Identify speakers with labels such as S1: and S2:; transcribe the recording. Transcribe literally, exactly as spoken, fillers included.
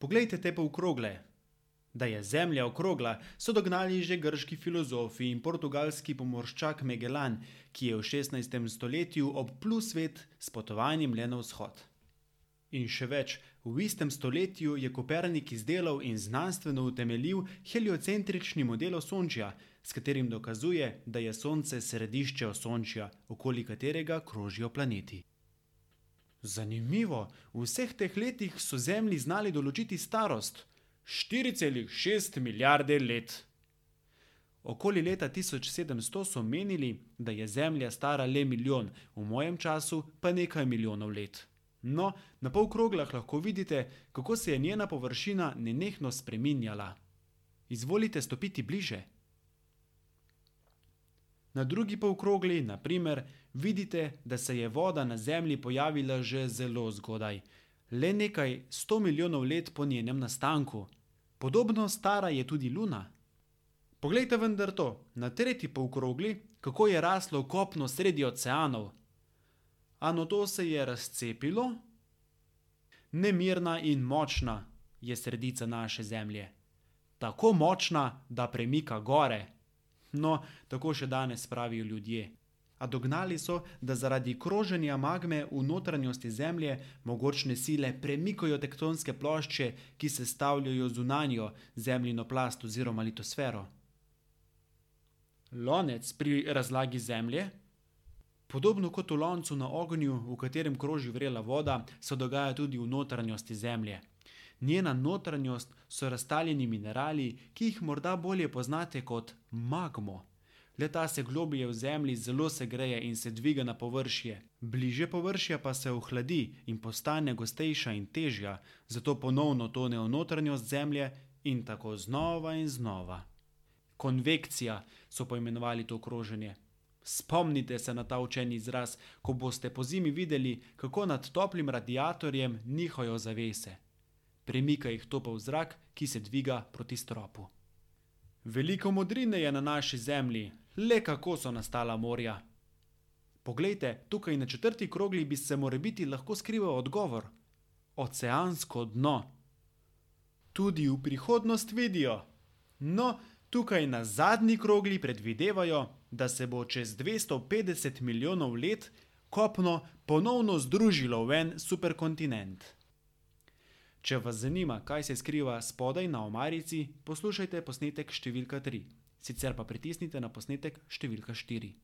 S1: Poglejte te polkrogle. Da je Zemlja okrogla, so dognali že grški filozofi in portugalski pomorščak Magellan, ki je v šestnajstem stoletju obplul svet s potovanjem le na vzhod. In še več, v istem stoletju je Kopernik izdelal in znanstveno utemeljil heliocentrični model Osončja, s katerim dokazuje, da je Sonce središče Osončja, okoli katerega krožijo planeti. Zanimivo, v vseh teh letih so Zemlji znali določiti starost. štiri celih šest milijarde let. Okoli leta tisoč sedemsto so menili, da je Zemlja stara le milijon, v mojem času pa nekaj milijonov let. No, na polkroglah lahko vidite, kako se je njena površina nenehno spreminjala. Izvolite stopiti bliže. Na drugi polkrogli, na primer, vidite, da se je voda na Zemlji pojavila že zelo zgodaj, le nekaj sto milijonov let po njenem nastanku. Podobno stara je tudi Luna. Poglejte vendar to, na tretji polkrogli, kako je raslo kopno sredi oceanov. A nato se je razcepilo? Nemirna in močna je sredica naše Zemlje. Tako močna, da premika gore. No, tako še danes pravijo ljudje. A dognali so, da zaradi kroženja magme v notranjosti Zemlje mogočne sile premikajo tektonske plošče, ki sestavljajo zunanjo Zemljino plast oziroma litosfero. Lonec pri razlagi Zemlje. Podobno kot v loncu na ognju, v katerem kroži vrela voda, se dogaja tudi v notranjosti Zemlje. Njena notranjost so raztaljeni minerali, ki jih morda bolje poznate kot magmo. Le-ta se globlje v Zemlji zelo segreje in se dviga na površje. Bliže površja pa se ohladi in postane gostejša in težja, zato ponovno tone v notranjost Zemlje in tako znova in znova. Konvekcija so poimenovali to kroženje. Spomnite se na ta učeni izraz, ko boste pozimi videli, kako nad toplim radiatorjem nihajo zavese. Premika jih topel zrak, ki se dviga proti stropu. Veliko modrine je na naši Zemlji, le kako so nastala morja. Poglejte, tukaj na četrti krogli bi se morebiti lahko skrival odgovor. Oceansko dno. Tudi v prihodnost vidijo. No, tukaj na zadnji krogli predvidevajo, da se bo čez dvesto petdeset milijonov let kopno ponovno združilo v en superkontinent. Če vas zanima, kaj se skriva spodaj na omarici, poslušajte posnetek številka tri. Sicer pa pritisnite na posnetek številka štiri.